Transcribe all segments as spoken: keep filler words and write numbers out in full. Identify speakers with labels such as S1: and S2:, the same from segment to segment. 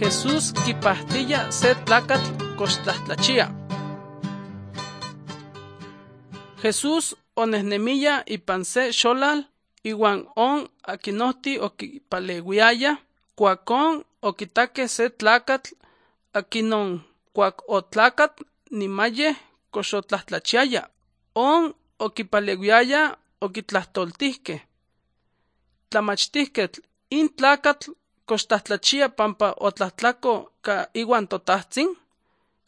S1: Jesús kipahtiya se tlakatl kochtlahtlachiya. Jesús onehnemiya ipan se xolal iwan on akinohti okipaleuiaya, kuakon okitakeh se tlakatl akinon kuak otlakat nimayej koxotlahtlachiaya. On okipaleuiaya okitlahtoltihkeh: Tlamachtijketl, in tlakatl kochtlahtlachiya pampa otlajtlako ka iwan totajtzin?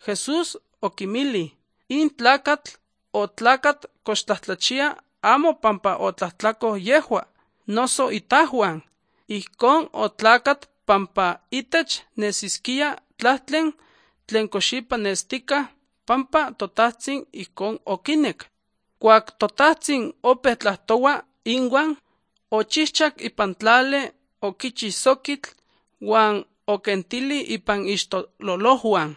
S1: Jesús okinmilij: In tlakatl otlakat kochtlahtlachiya amo pampa otlajtlako yejua, noso itajuan, ijkon otlakat pampa itech nesiskia tlahtlen tlen koxipa nestikaj pampa totajtzin ijkon okinek. Kuak totajtzin opeu tlahtoua inuan, ochijchak ipan tlali, okichi sokitl uan okentilij ipan ixtololojuan.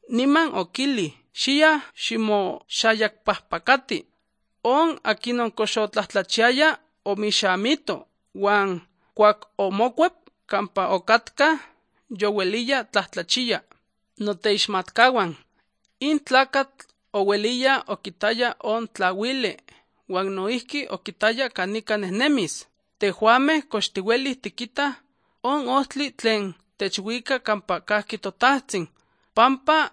S1: Niman okilij: Xiya ximoxayakpajpakati. On akinon koxotlahtlachiaya omixamito, uan kuak omokuep kampa okatka youeliya tlahtlachiya. Noteixmatkauan, in tlakatl oueliya okitaya on tlauili uan noijki okitaya kanika nehnemis. Tejuamej kox tiuelij tikitah on ojtli tlen techuika kampa kajki totajtzin, pampa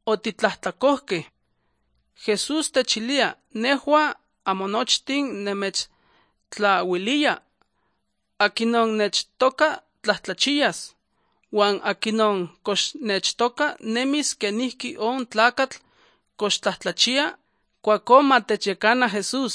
S1: otitlajtlakojkej. Jesús techilia: Nejua amo nochtin nemechtlauiliya, akinon nechtoka tlahtlachiyas, uan akinon koxnechtoka nemis kenijki on tlakatl kochtlahtlachiya, kuakon matechyekana Jesús.